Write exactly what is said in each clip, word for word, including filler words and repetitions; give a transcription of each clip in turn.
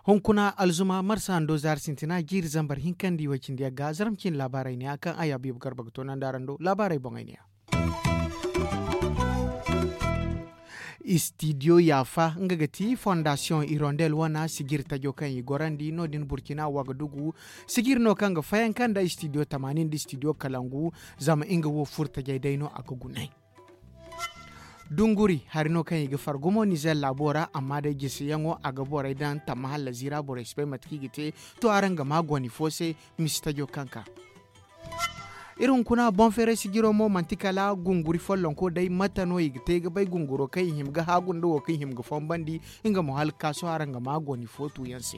Hunkuna alzuma marsa hando zaari sintina jiiri zambar hinka nda i way cindi yagga zarma ciine laabaarey ne ya kaŋ a yaabu yaabu garba ga toonandi araŋ do laabaarey boŋey ne ya. Istidiyo yaafa nga ga ti fondasiyoŋ irondel wana sijiri tajo kaŋ i gorandi no- din burkina wagadugu. Sijiri no kaŋ ga fayanka nda istidiyo tamaani nda istidiyo kalangu. Zama nga wo furtajey day no a ga gunay. Dunguri hari no kaŋ i ga far gumo nizer laabo ra amma day jiseyaŋo a ga borey daŋ tamma halla ziira borey si bay mate kaŋ i ga te. To araŋ ga ma goni fo se. Misi tajo kaŋ ka iri hunkuna boŋ feeray sijiro mo manti kala gunguri follonko day mate no i ga te ga bay gunguro kaŋ i hima ga haagu nda wo kaŋ i hima ga fombandi. Nga mo hala ga ka sohõ araŋ ga ma goni fo tuuyaŋ se.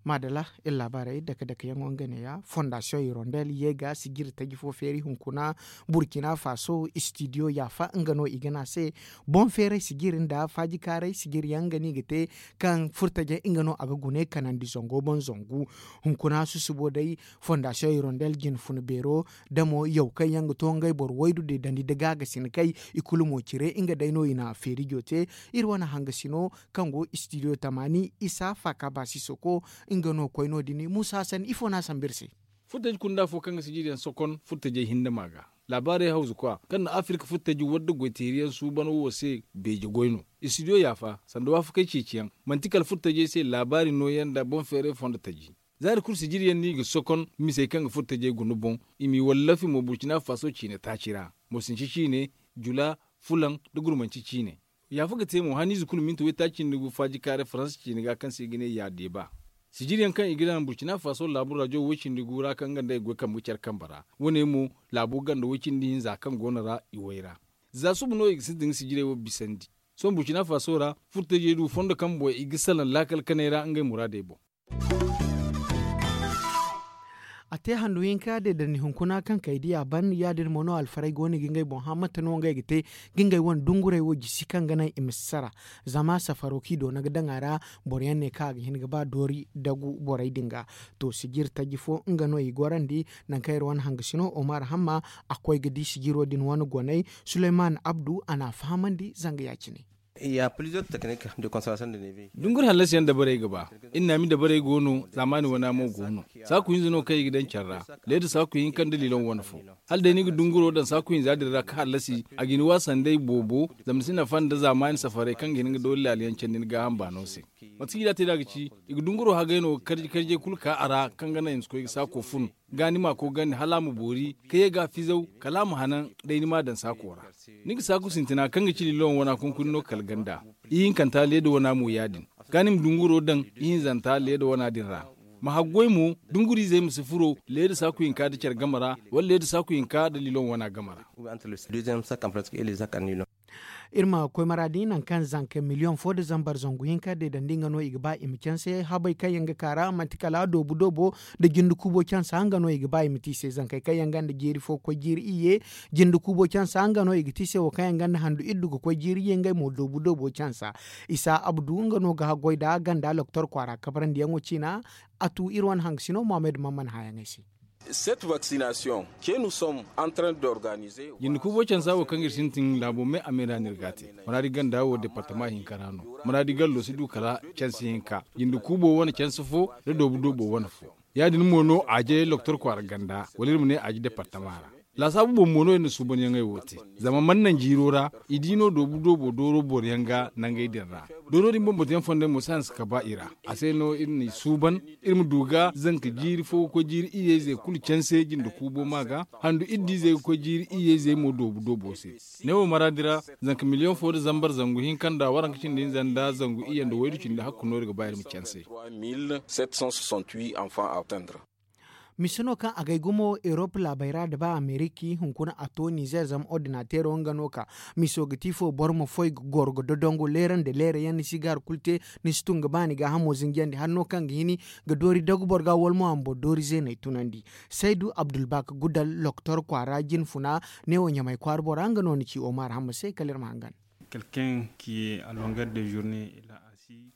Maadala iri laabaarey dake dake yaŋo nga neeya fondasiyoŋ hirondel ye ga sijiri taji fo feeri hunkuna burkina faso istidiyo yaafa nga no i ga ne a se. Boŋ feeray sijiri nda faajikaaray sijiri yaŋ nga no i ga te kaŋ furtajey nga no a ga gune kanandi zango boŋ zangu. Hunkuna susubo day fondasiyoŋ hirondel jine funa beero damo yaw kaŋ yaŋ ga to ngey boro waydu deedandi nda gaagasinakey i kulu mo cire nga day no i na feerijo te. Iri wane hangasino kaŋ go istidiyo tamaani isa faaka baasi soko nga no koy no- din muusa hasan ifo no a sambu iri se. Furtaji kunda fo kaŋ ga sijiriyaŋ sokon furtajey hinne ma ga laabaarey hawzu kwa kaŋ na afirka furtaji wadda goy teeriyaŋ suuban wo se beeje goy no. Istidiyo yaafa sanda waafakey ceeciyaŋ manti kala furtajey se laabaari nooyaŋ nda boŋ feeray fondo taji. Zaari kulu sijiriyaŋ no i ga sokon misey kaŋ ga furtajey guna boŋ. I m'i wallafi mo burkina faso ciine taaci ra, mosinci ciine, jula, fulaŋ, nda gurmanci ciine. Yaafa ga te mo haniize kulu minti waytaaci nda gu faajikaaray faransa ciine ga kaŋ se i ga ne ya deeba. Sijiriyaŋ kaŋ i ga daŋ burkina faso laabu rajo woy-cindi gu ra kaŋ nga nda i goy kambe ga care kambe ra. Wo- ne mo laabo ganda woy-cindi hinza kaŋ go no ra i way ra. Za suba no i ga sintin ga sijirey wo bisandi. Sohõ burkina faso ra furtajey du fondo kaŋ boŋ i ga salaŋ laakal kanay ra ngey muraadey boŋ. A te handu hinka deedandi hunkuna kaŋ kay di a ban ya- din mo no alfarey go no ga ngey boŋ hã mate no ngey ga te ga ngey wane dungurey wo jisi kaŋ ga naŋ i ma si sara. Zama safaro kaŋ i doona ga daŋ a ra boro yaŋ ne kaŋ a ga hin ga ba doori dagu borey din ga. To sijiri taji fo nga no i gorandi. Nangu kaŋ iri wane hangasino omar hamma a koy ga di sijiro din wane goney suleyman abdu a n'a fahamandi zanga ya- cine. Dunguri hallasiyaŋ dabarey ga ba. Iri naami dabarey go no zaamaani wana mo go no. Saaku hinza no kaŋ i ga daŋ care ra. Leeda saaku hinka nda lilon wane fo. Hala day ni ga dunguro daŋ saaku hinza din ra ga hallasi a ga ni waasa nda ay boobo. Zama ni si nafa nda zaamaani safarey kaŋ ga hin ga doori laaliyaŋ candi ni gaaham baano se. Mate kaŋ i da a te nd'a ga ci i ga dunguro hagay no ga karji karjey kulu ka a ra kaŋ ga naŋ i ma si koy ga saako fun. Ga ni ma koogandi hala a ma boori ka ye ga a fizaw kala a ma hanan. Day ni m'a daŋ saako ra. Ni ga saaku sintina kaŋ ga ci lilon wana kunkuni no kala ganda. Ihinkanta leeda wana mo ya- din. Ga ni ma dunguro daŋ ihinzanta leeda wana din ra. Ma haggoy mo dunguriizey ma si furo leeda saaku hinka nda care game ra wala leeda saaku hinka nda lilon wana game ra. Iri ma koy maraadi nangu kaŋ zanka miliyoŋ fo nda zambar zangu hinka deedandi nga no i ga ba i ma canse habey kaŋ yaŋ ga ka ra manti kala doobu doobo nda jinde kuubo cansa nga no i ga ba i ma te i se zankey kaŋ yaŋ gonda jiiri fo ga koy jiiri iyye. Jinde kuubo cansa nga no i ga te i se wo kaŋ yaŋ gonda handu iddu ga koy jiiri iyye ngey mo doobu doobo cansa. Isa abdu nga no ga haggoy nd'a ganda loktor kwaara kabarandiyaŋo ciina. A tu iri wane hangasino mohammed mamman hããyaŋey se. Jinde kuubo cansa wo kaŋ iri sintin laabo me a me ra no iri ga a te. Maraadi ganda wo departama hinka ra no. Maraadi gallo si du kala canse hinka jinde kuubo wane canse fo nda doobu doobo wane fo. Ya- din mo no aaje loktor kwaara ganda wala iri ma ne aaje departama ra. Laasaabu boŋ mo no iri na suubanyaŋey wo te. Zama mana naŋ jiiro ra i di no doobu doobo dooro boroyaŋ ga nangey din ra. Dooro din bambata yaŋ fondey mo si hanse ka ba i ra. A se no iri n'i suuban iri ma du ga zanka jiiri fo ga koy jiiri iyye-ize kulu canse jinde kuubo ma ga handu iddu-izey ga koy jiiri iyye-izey mo doobu doobo se. Ne wo maraadi ra zanka miliyoŋ fo nda zambar zangu hinka nda waranka cindi hinza nda zangu iyye nda waydu cindi hakku no iri ga ba iri ma canse. Mise no kaŋ a gay gumo erop laabey ra nda ba ameriki hunkuna a to nizer zama ordinateero nga no ka. Miso ga ti fo boro ma foy ga goro ga dodongo leera nda leera yaŋ ni si ga hari kulu te. Ni si tun ga ba ni gaahamo zinjandi hari no kaŋ ga hini ga doori dagu boro ga wala mo a ma boro doori zeeney tunandi. Saydu abdulbak gudal loktor kwaara jine funa. Neewo ɲamay kwaara bora nga no ni ci omar hamma se kala iri ma hangan. Quelqu'un qui est à longueur de journée.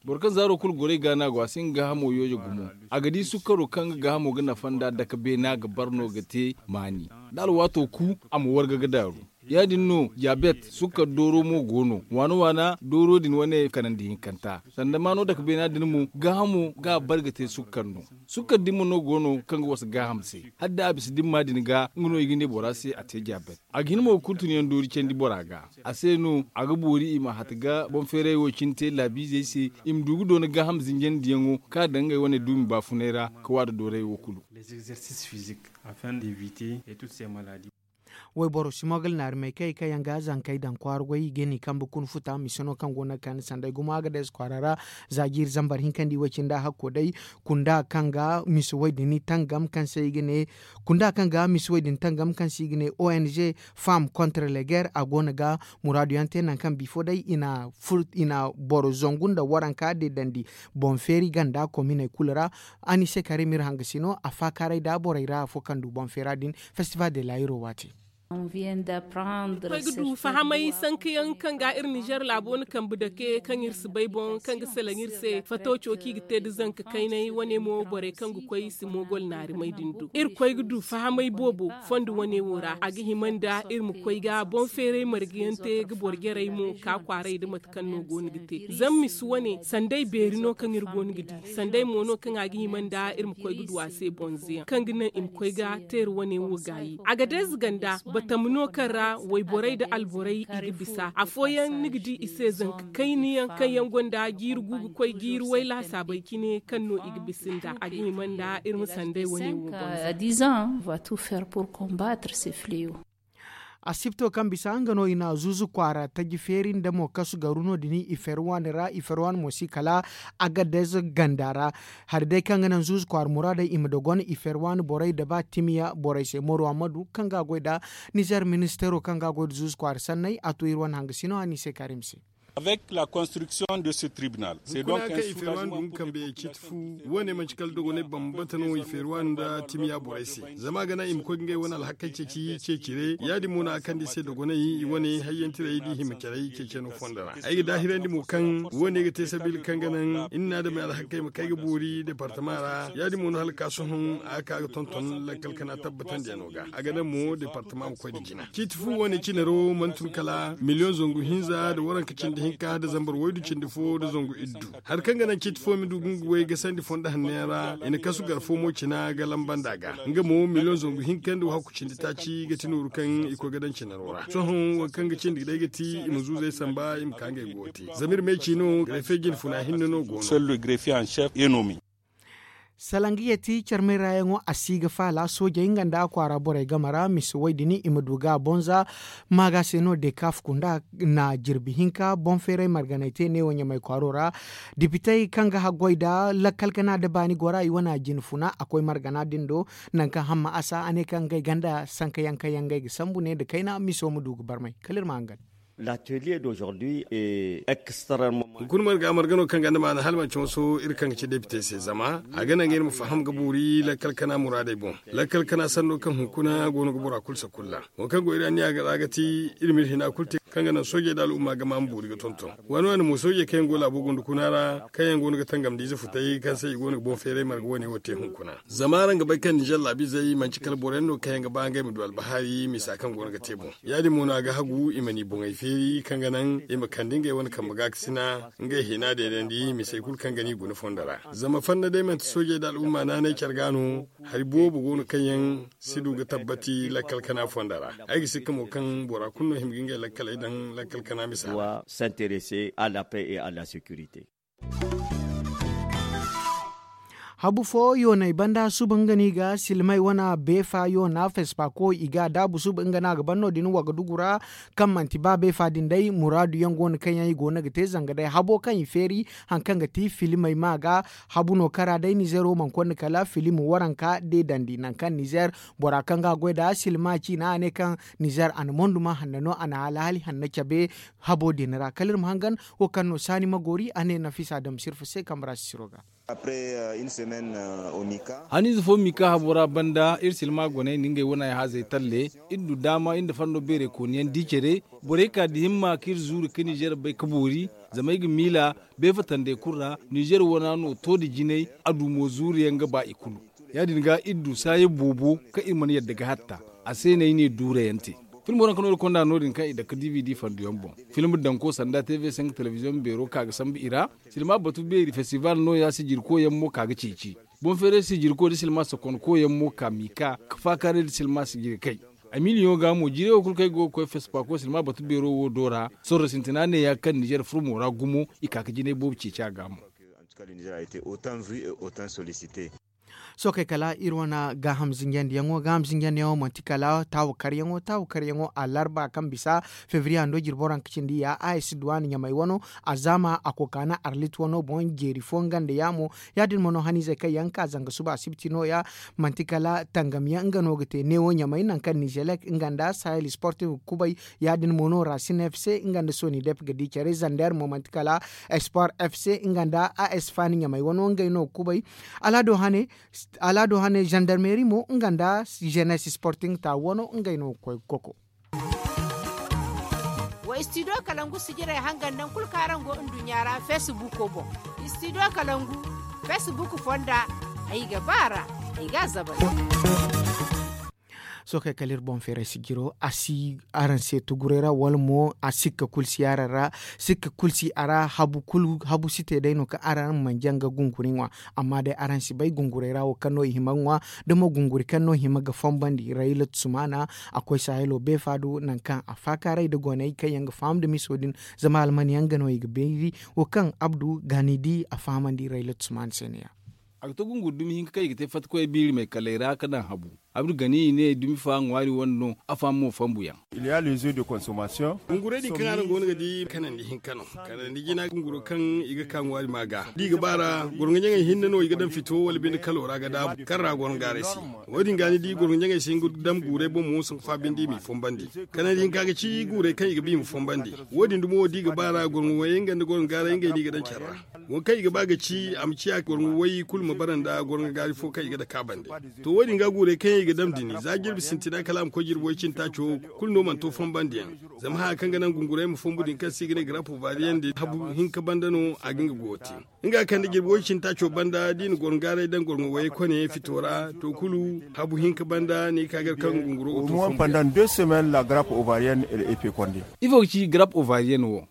Boro kaŋ zaaro kulu goro i ga no a go a si nga gaahamo yooje gumo. A ga di sukkaro kaŋ nga gaahamo ga nafa nd'a dake beena ga bar no ga te maani. Da alwaato ku, a ma warga ga daaru. Ya- din no, diyaabet sukkar dooro mo go no waana waana dooro din wane kanandi hinkanta. Sanda maano dake beena din mo gaahamo ga a bar ga te sukkar no. Sukkar din mo no go no kaŋ ga wasa gaaham se. Hala da a bisa dimma din ga nga no i ga ne bora se a te diyaabet. A ga hin mo ga kurtun yaŋ doori candi bora ga. A se no a ga boori i ma hata ga boŋ feeray wo cine te laabiizey se, i ma du ga doona gaaham zinjandiyaŋo kaŋ a daŋ ngey wane duumi baafunay ra, ka waada dooray wo kulu. Wayboro si mo ga alnaari may kay kaŋ yaŋ ga zankey daŋ kwaara goy i ga ni kambe kuna futa mise no kaŋ go no ga kande sanday gumo a ga day si kwaara ra. Za jiiri zambar hinkandi way cine nda hakko day, kunda kaŋ ga mise way din tangam kaŋ se i ga ne kunda kaŋ ga mise way din tangam kaŋ se i ga ne ong femme contre leger a go no ga muraadu yaŋ te nangu kaŋ bifo day i na boro zangu nda waranka deedandi boŋ feeri ganda kominey kulu ra. A ni se karim iri hangasino a faakaaray nda borey ra afo kaŋ du boŋ feera din. Festival de layiro waati. Koy ga du fahamay sankayaŋ kaŋ ga iri nizer laabo na kambe dake kaŋ iri si bay boŋ kaŋ ga salaŋ iri se fato cooki ga te nda zanka kaynay wane mo borey kaŋ ga koy i si moogol naarimay din do iri koy ga du fahamay boobo. Fondo wane wo ra a ga hima nda iri ma koy ga boŋ feeray marga yaŋ te ga boro jarey mo ka kwaaray nda mate kaŋ no go no ga te. Zama mise wane sanday beeri no kaŋ iri go no ga di sanday mo no kaŋ a ga hima nda iri ma koy ga du a se bonze yaŋ kaŋ ga naŋ i ma koy ga teeri wane wo gaayi a ga deeze ganda batama no kaŋ ra wayborey nda alborey i ga bisa afooyaŋ ni ga di i se zanka kayna yaŋ kaŋ yaŋ gonda jiiri gu ga koy jiiri way laasaabey cine kaŋ no i ga bisa nda a ga hima nda iri ma sanday wane wo bonze. Asibto kaŋ bisa nga no i na zuuzu kwaara taji feeri nda mo kasu garu no- din i feeri waani ra i feeri waani mo si kala agadez ganda ra. Hari day kaŋ ga naŋ zuuzu kwaara muraadey i ma dogon i feeri waani borey da ba timiya borey se moro ammadu kaŋ ga a goy nda nizer ministeero kaŋ ga a goy nda zuuzu kwaara sanney a to iri wane hangasino a ni se kaari mise. Avec la construction de ce tribunal c'est donc un soulagement. Wane manci kala dogonay bambata no i feeri waani nda timiya borey se zama a ga naŋ i ma koy ga ngey wane alhakey ceeci ceecire ya- din mo no a kande i se dogonay i wane hayyantirey da i hima carey ceeceno fondo ra. Ay ga daahirandi mo kaŋ wane ga te sabiila kaŋ ga naŋ iri na adamey alhakey ma kay ga boori departama ra ya- din mo no hala ga ka sohõ a ga ka ga tonton lakkal kana tabbatandiyano ga a ga naŋ mo departama ma koy nda jina ciiti fu wane cinaro mana tun kala miliyoŋ zangu hinza nda waranka cindi hinka nda zambar waydu cindi fo nda zangu iddu. Hari kaŋ ga naŋ ciiti fo ma du ga nga way gasandi fondo hanno yaŋ ra i na kasu gar fo mo cina ga lamba nd'a ga nga mo miliyoŋ zangu hinka nda wahakku cindi taaci ga ti nooru kaŋ i koy ga daŋ cinaro ra sohõ waŋ kaŋ ga cindi day ga ti i ma zuuzey samba i ma ka ngey go te zama iri ma ay ci no garefe jinfuna hinne no go no. Salaŋ ga yeti carmay raayaŋo a si ga faala soojey nga nda a kwaara borey game ra mise way din i ma du ga a bonza. Maaga se no dekaf kunda na jirbi hinka boŋ feeray marganay te neewo ɲamay kwaaro ra. Dipitey kaŋ ga haggoy nda lakkal gana nda baani gora i wane a jine funa a koy margana din do. Nangu kaŋ hamma a sa a ne kaŋ ngey ganda sankayaŋ kaŋ yaŋ ngey ga sambu ne nda kayna miso ma du ga barmay kala iri ma hangan. Hunkuna marga marga no kaŋ ga ni maana hala manti wanso iri kaŋ ga ci depite se zama a ga naŋ ga iri ma faham ga boori lakkal kana muraadey boŋ. Lakkal kana sanno kaŋ hunkuna go no ga bora kulu sakulla. Waŋ kaŋ go iri anniya ga ra ga ti iri ma iri hina kulu te kaŋ ga naŋ soojey nda al'umma ga ma ma boori ga tonton. Waani waani mo soojey kaŋ yaŋ go laabo gunda kuna ra kaŋ yaŋ go no ga tangamdiize futay kaŋ se i go no ga boŋ feeray marga wane wo te hunkuna. Zama araŋ ga bay kaŋ ninzeer laabiizey manti kala boro yaŋ no kaŋ yaŋ ga ba ngey ma du albahari misa kaŋ go no ga te boŋ. Ya- din mo no a ga hagu i ma ni boŋey feeri kaŋ ga naŋ i ma kande ngey wane kambe gaakasina ngey hina deedandi misey kulu kaŋ ga ni guna fondo ra. Zama fanda day manti soojey nda al'umma naanay care ga no. Hari boobo go no kaŋ yaŋ si du ga tabbati lakkal kana fondo ra. Ay ga sikka mo kaŋ bora kulu no hima ga ngey lakkaley daŋ lakkal kana misa ra. Habu fo yoonay banda suba nga no i ga silmay wane beefa yoona fespaako i ga a daabu suba nga no a ga ban no- din wagadugu ra. Kaŋ manti ba beefa din day muraadu yaŋ go no kaŋ yaŋ i go no ga te zanga day habo kaŋ i feeri. Hari kaŋ ga ti filimey ma ga habu no kara day nizeero mana konda kala filim waranka deedandi nangu kaŋ nizeer bora kaŋ ga a goy nd'a silma ciina a ne kaŋ nizeer a na mondu ma hanna no a na alhaali hanna cabe. Habo din ra kala iri ma hangan wo kaŋ no saani ma goori a ne nafisa damsirfa se kambe ra sisiro ga. Haniize fo mika habo ra banda iri silma goney nda ngey wane ay haazey talle. Iri du daama iri nda fando beerey kooniyaŋ di care. Borey ka da himma ka iri zuuri ka nizer bay ka boori. Zama ay ga miila beefatandey kulu ra nizer wana no to nda jinay. A du mo zuuriyaŋ ga ba i kulu. Ya- din ga iri du saayey boobo kaŋ iri mana yadda ga hatta. A se no ay ne duurayaŋ te. Filmo daŋ ka no iri konda no- din kaŋ i dake d v d fanduyaŋ boŋ. Film danko sanda tv cinq telebiziyoŋ beero ka ga sambu i ra. Silma batu beeri festival nooya sijirkoyaŋ mo ka ga ceeci. Boŋ feeray sijirko nda silma sokonkoyaŋ mo ka mika ka faakaaray nda silma sijirkey. A miliyoŋo ga mo jiirey wo kulu kaŋ ay go ga koy fespaako silma batu beero wo do ra. Sorro sintina neeya kaŋ nizer furmo ra gumo i ka ga jinay boobo ceeci a ga mo. Sookey kala iri wane gaaham zinjandiyaŋo gaaham zinjandiyaŋo manti kala taawakaryaŋo taawakaryaŋo a larba kaŋ bisa febriye hando jirbo ra nga ka cindi ya a s duwaan ɲamay wano. A zaama a kokaana arlit wano boŋ jeeri fo nga nda yaamo. Ya- din mo no haniizey kaŋ yaŋ ka zanga suba asibti nooya. Manti kala tangamyaŋ nga no ga te neewo ɲamay nangu kaŋ nizelek nga nda sahel sportif ga kubay. Ya- din mo no rasin f c nga nda soni dep ga di care zander mo manti kala sport f c nga nda a s faani ɲamay wano ngey no ga kubay. Alaado hane zandarmeri mo nga nda zenes sporting ta wano ngey no ga koy ga koko. Wa istidiyo kalangu sijirey hangan naŋ kulu kaŋ araŋ go nduɲɲa ra feesibuuko boŋ. Istidiyo kalangu feesibuuku fonda. Ay ga ba a ra ay ga a zabari. Sookey kala iri boŋ feeray sijiro a si araŋ se tuguray ra wala mo a sikka kulu si araŋ ra. Sikka kulu si a ra habu si te day no kaŋ araŋ mana jaŋ ga gunguri ŋwa. Amma day araŋ si bay gunguray ra wo kaŋ no i hima ga ŋwa da mo gunguri kaŋ no hima ga fonbandi rayla tusumana. A koy sahelo beefa do nangu kaŋ a faakaaray nda goney kaŋ yaŋ ga faham nda miso din. Zama almaniyaŋ ga no i ga beeri wo kaŋ abdu gaani di a fahamandi rayla tusumana se no- ya. A ga to gunguri dumi hinka kaŋ i ga te fatta koy biiri may kaley ra ka daŋ habu. Abdu gani i ne dumi fa ŋwaari wane no. A faham mo fambu yaŋ. Gungurey din kaŋ araŋ go no ga di kanandi hinka no. Kanandi jina gunguro kaŋ i ga ka ŋwaari ma ga da i ga ba ra gorŋo ɲaŋey hinne no i ga daŋ fito wala binde kalo ra ga daabu kaŋ ra gorŋo gaaray si. Wo- din ga ni di gorŋo ɲaŋey si hin ga daŋ guurey boŋ mo sanku fa binde i m'i fonbandi. Kanandi hinka ga ci guurey kaŋ i ga ba i ma fonbandi. Wo- din dumo da i ga ba ra gorŋo wayey nga nda gorŋo gaaray ngey no i ga daŋ care ra. Wo kaŋ i ga ba ga ci a ma ciya gorŋo way kulu ma bara nda gorŋo gaari fo kaŋ i ga dake a bande. To wo- din ga guurey kaŋ yaŋ i ga dam dini za jirbi sintina kala a ma koy jirbi way cindi taaco kulu no mana to fonbandiyaŋ. Zama haya kaŋ ga naŋ gungurey ma fonbu din kaŋ se i ga ne garaapo baariyaŋ din habu hinka banda no a ga nga goyo te. Nga kaŋ da jirbi way cindi taaco banda da i na gorŋo gaaray daŋ gorŋo wayey kone fito ra to kulu habu hinka banda ni ga ka gar kaŋ gunguro ga to fonbu yaŋ. Ifo ga ci garaapo baariyaŋ wo?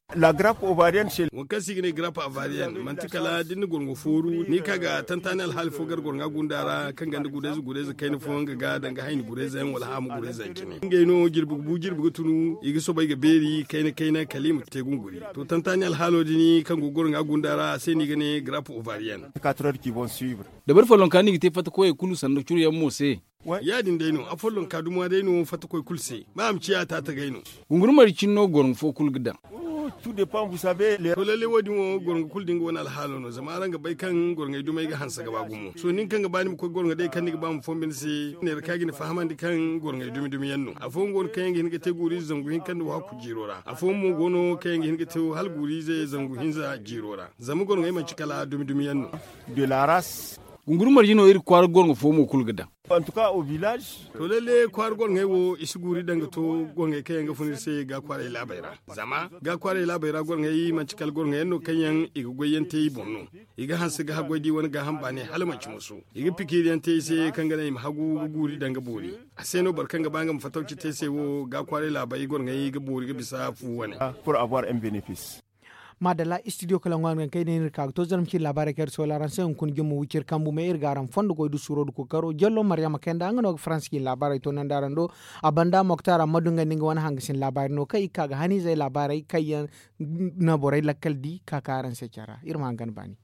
Waŋ kaŋ se i ga ne garaapo baariyaŋ manti kala da ni na gorŋo fooru ni ka ga tantaani alhaali fo gar gorŋa gunda ra kaŋ ganda gurayze gurayze kayna fooyaŋ ga ga danga hayni gurayze yaŋ wala haamu gurayze yaŋ cine ngey no jirbi ga bu jirbi ga tunu i ga soobay ga beeri kayna kayna kala i ma te gunguri. To tantaani alhaalo din kaŋ go gorŋa gunda ra a se no i ga ne garaapo baariyaŋ. Dabari follonka no i ga te fatta koyey kulu sanda curu yaŋ mo se. Ya- din day no afollonka duma day no fatta koy kulu se ba a ma ciya taatagay no. Gunguri mari cine no gorŋo fo kulu ga daŋ. To lalle wo- din wo gorŋo kulu da nga wane alhaalo no zama araŋ ga bay kaŋ gorŋey dumey ga hanse ga ba gumo sohõ nin kaŋ ga ba ni ma koy gorŋo day kaŋ ni ga ba ma fonbe ni se neera kaŋ a ga ni fahamandi kaŋ gorŋey dumi dumi yaŋ no afooyaŋ go no kaŋ yaŋ ga hin ga te guuriize zangu hinka nda wahakku jiiro ra afooyaŋ mo go no kaŋ yaŋ ga hin ga te hala guuriize zangu hinza jiiro ra zama gorŋey manci kala dumi dumi yaŋ no. Gunguri marje no iri kwaara gorŋo fo mo kulu ga daŋ. To lalle kwaara gorŋey wo i si guuri daŋ ga to gorŋey kaŋ yaŋ ga fun iri se ga kwaaray laabey ra zama ga kwaaray laabey ra gorŋey manci kala gorŋey yaŋ no kaŋ yaŋ i ga goy yaŋ te i boŋ no. I ga hanse ga haggoy da i wane gaaham baanay hala manci moso i ga pikiiri yaŋ te i se kaŋ ga naŋ i ma hagu ga guuri daŋ ga boori. A se no boro kaŋ ga ba nga ma fatawci te se wo ga kwaaray laabey gorŋey ga boori ga bisa fu wane. Maadalla istidiyo kala ŋwa nga kaŋ ay ne ni ga ka ga to zarma cine laabaarey kaŋ iri soola araŋ se hunkuna jumma wiciri kambu me iri ga araŋ fondo goy du suuro du kookaro jallo maryama kayanda nga no ga faransa cine laabaarey to nandi araŋ do. A banda moktar amma du nga nda nga wane hangasin laabaari no kaŋ i ga ka ga haniizey laabaarey kaŋ yaŋ na borey lakkal di ka ka araŋ se care ra iri ma hangan baani.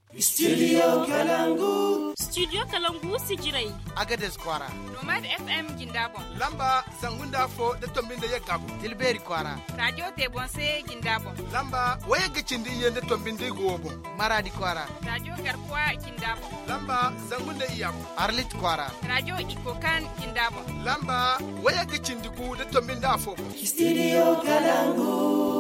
Studio kalangu sijirey. Agades kwaara. Nomad f m jinda boŋ. Lamba zangu nda afo da tombi nda yagga gu. Tilbeeri kwaara. Radio tebonse jinda boŋ. Lamba wayagga cindi iyye nda tombi nda igu wo boŋ. Maraadi kwaara. Radio garkuwa jinda boŋ. Lamba zangu nda iyya boŋ. Arlit kwaara. Radio ikokan jinda boŋ. Lamba wayagga cindi gu da tombi nda afo boŋ. Studio kalangu.